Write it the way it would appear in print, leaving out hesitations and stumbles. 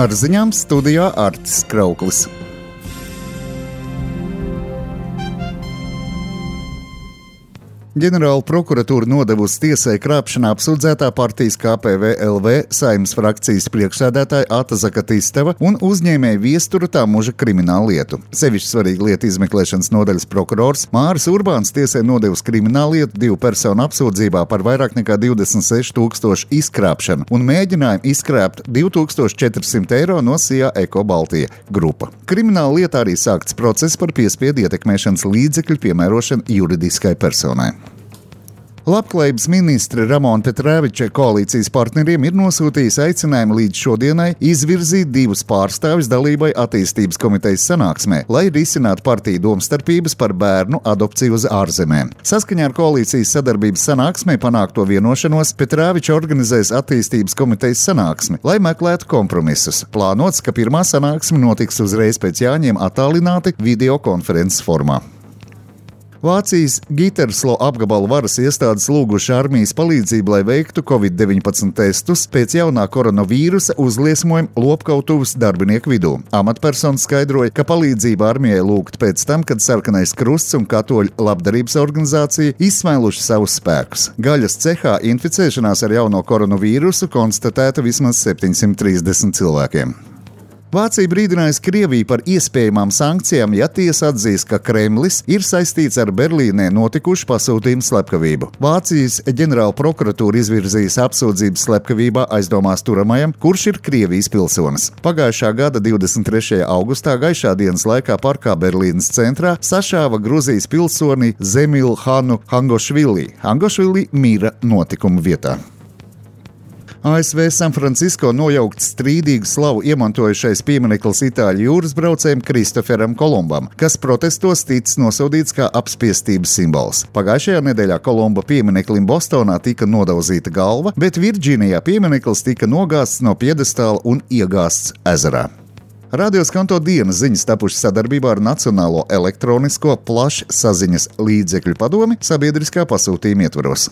Ar ziņām studijā Artis Krauklis. Ģenerāla prokuratūra nodevusi tiesai krāpšanā apsūdzētā partijas KPVLV Saeimas frakcijas priekšsēdētāja Ata Zakatisteva un uzņēmēja Viestura Tamuža kriminālu lietu. Sevišķi svarīga lieta izmeklēšanas nodaļas prokurors Māris Urbāns tiesai nodevusi kriminālu lietu 2 personu apsūdzībā par vairāk nekā 26 000 izkrāpšanu un mēģinājumu izkrāpt 2400 eiro no Sijā Eko Baltija grupa. Krimināla lietā arī sākts process par piespiedu ietekmēšanas līdzekļu piemērošanu juridiskai personai. Labklājības ministre Ramona Petrēviča koalīcijas partneriem ir nosūtījis aicinājumu līdz šodienai izvirzīt 2 pārstāvjus dalībai attīstības komitejas sanāksmē, lai risinātu partiju domstarpības par bērnu adopciju uz ārzemēm. Saskaņā ar koalīcijas sadarbības sanāksmē panākto vienošanos Petrēviča organizēs attīstības komitejas sanāksmi, lai meklētu kompromisus. Plānots, ka pirmā sanāksme notiks uzreiz pēc Jāņiem attālināti videokonferences formā. Vācijas Giterslo apgabala varas iestādes lūguši armijas palīdzību, lai veiktu Covid-19 testus pēc jaunā koronavīrusa uzliesmojuma lopkautuvas darbinieku vidū. Amatpersonas skaidroja, ka palīdzība armijai lūgta pēc tam, kad Sarkanais Krusts un Katoļu labdarības organizācija izsmēluši savus spēkus. Gaļas cehā inficēšanās ar jauno koronavīrusu konstatēta vismaz 730 cilvēkiem. Vācija brīdinājusi Krieviju par iespējamām sankcijām, ja tiesa atzīs, ka Kremlis ir saistīts ar Berlīnē notikušu pasūtījumu slepkavību. Vācijas ģenerāla prokuratūra izvirzījis apsūdzības slepkavībā aizdomās turamajam, kurš ir Krievijas pilsonis. Pagājušā gada 23. augustā gaišā dienas laikā parkā Berlīnes centrā sašāva Gruzijas pilsoni Zemilu Hanu Hangošvili. Hangošvili mira notikuma vietā. ASV San Francisco nojaukt strīdīgu slavu iemantojušais piemineklis itāļu jūras braucējiem Kristoferam Kolumbam, kas protestos ticis nosodīts kā apspiestības simbols. Pagājušajā nedēļā Kolumba piemineklim Bostonā tika nodauzīta galva, bet Virģīnijā piemineklis tika nogāsts no piedestāla un iegāsts ezerā. Radio Skanto dienas ziņas tapušas sadarbībā ar Nacionālo elektronisko plašsaziņas līdzekļu padomi sabiedriskā pasūtījuma ietvaros.